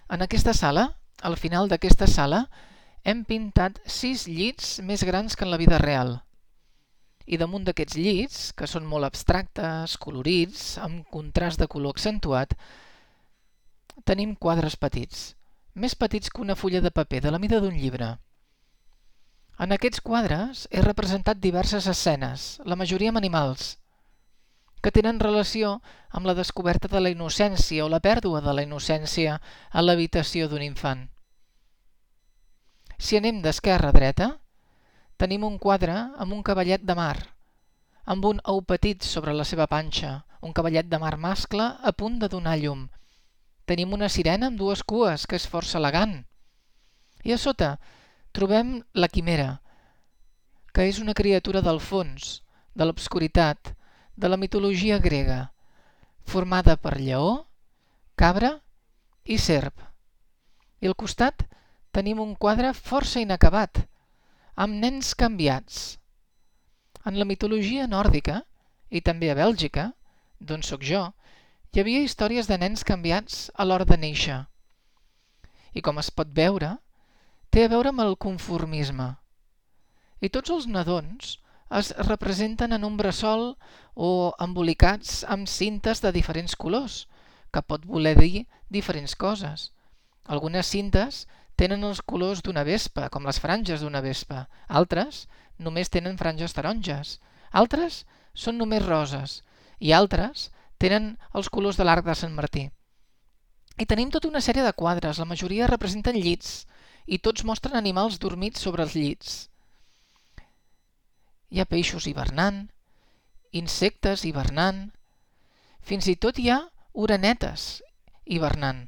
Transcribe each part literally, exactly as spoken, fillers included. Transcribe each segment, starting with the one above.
En aquesta sala, al final d'aquesta sala, hem pintat sis llits més grans que en la vida real. I damunt d'aquests llits, que són molt abstractes, colorits, amb contrast de color accentuat, tenim quadres petits, més petits que una fulla de paper, de la mida d'un llibre. En aquests quadres he representat diverses escenes, la majoria amb animals, que tenen relació amb la descoberta de la innocència o la pèrdua de la innocència a l'habitació d'un infant. Si anem d'esquerra a dreta, tenim un quadre amb un cavallet de mar, amb un ou petit sobre la seva panxa, un cavallet de mar mascle a punt de donar llum. Tenim una sirena amb dues cues, que és força elegant. I a sota trobem la quimera, que és una criatura del fons, de l'obscuritat, de la mitologia grega, formada per lleó, cabra i serp. I al costat tenim un quadre força inacabat, amb nens canviats. En la mitologia nòrdica, i també a Bèlgica, d'on sóc jo, hi havia històries de nens canviats a l'hora de néixer. I com es pot veure, té a veure amb el conformisme. I tots els nadons es representen en un bressol o embolicats amb cintes de diferents colors, que pot voler dir diferents coses. Algunes cintes tenen els colors d'una vespa, com les franges d'una vespa. Altres només tenen franges taronges. Altres són només roses. I altres tenen els colors de l'arc de Sant Martí. I tenim tota una sèrie de quadres, la majoria representen llits, i tots mostren animals dormits sobre els llits. Hi ha peixos hivernant, insectes hivernant, fins i tot hi ha orenetes hivernant.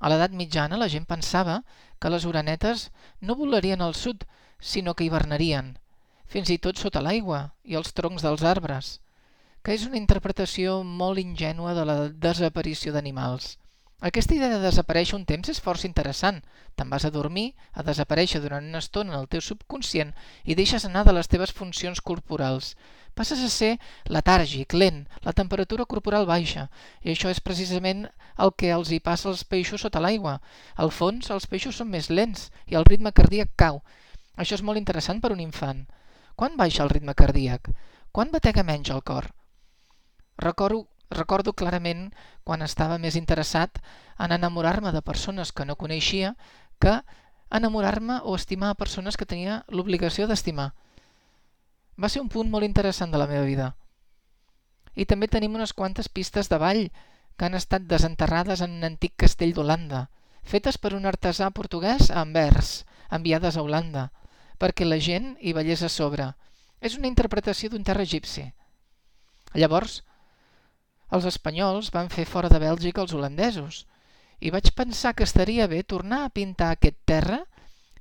A l'edat mitjana la gent pensava que les orenetes no volarien al sud, sinó que hivernarien, fins i tot sota l'aigua i els troncs dels arbres, que és una interpretació molt ingènua de la desaparició d'animals. Aquesta idea de desaparèixer un temps és força interessant. Te'n vas a dormir, a desaparèixer durant una estona en el teu subconscient i deixes anar de les teves funcions corporals. Passes a ser letàrgic, lent, la temperatura corporal baixa, i això és precisament el que els hi passa als peixos sota l'aigua. Al fons, els peixos són més lents i el ritme cardíac cau. Això és molt interessant per un infant. Quan baixa el ritme cardíac? Quan batega menys el cor? Recordo Recordo clarament quan estava més interessat en enamorar-me de persones que no coneixia que enamorar-me o estimar a persones que tenia l'obligació d'estimar. Va ser un punt molt interessant de la meva vida. I també tenim unes quantes pistes de ball que han estat desenterrades en un antic castell d'Holanda, fetes per un artesà portuguès a Anvers, enviades a Holanda, perquè la gent hi ballés a sobre. És una interpretació d'un terra egipci. Llavors, els espanyols van fer fora de Bèlgica els holandesos i vaig pensar que estaria bé tornar a pintar aquest terra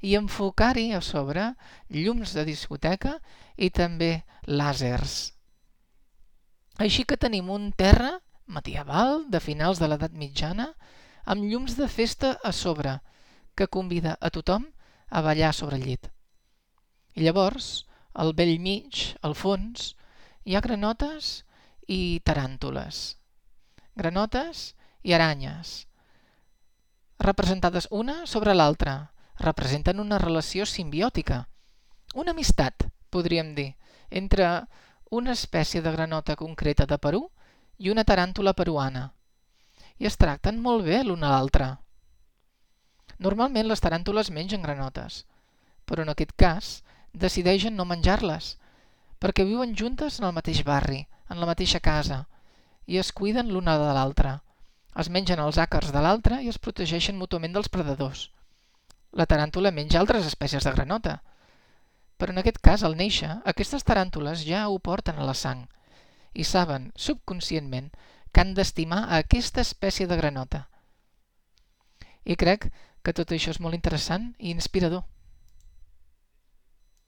i enfocar-hi a sobre llums de discoteca i també làsers. Així que tenim un terra medieval de finals de l'edat mitjana amb llums de festa a sobre que convida a tothom a ballar sobre el llit. I llavors, al bell mig, al fons, hi ha granotes i taràntules, granotes i aranyes, representades una sobre l'altra, representen una relació simbiòtica, una amistat, podríem dir, entre una espècie de granota concreta de Perú i una taràntula peruana, i es tracten molt bé l'una a l'altra. Normalment les taràntules mengen granotes, però en aquest cas decideixen no menjar-les, perquè viuen juntes en el mateix barri, en la mateixa casa, i es cuiden l'una de l'altra. Es mengen els àcars de l'altra i es protegeixen mútuament dels predadors. La taràntula menja altres espècies de granota, però en aquest cas, al néixer, aquestes taràntules ja ho porten a la sang i saben, subconscientment, que han d'estimar a aquesta espècie de granota. I crec que tot això és molt interessant i inspirador.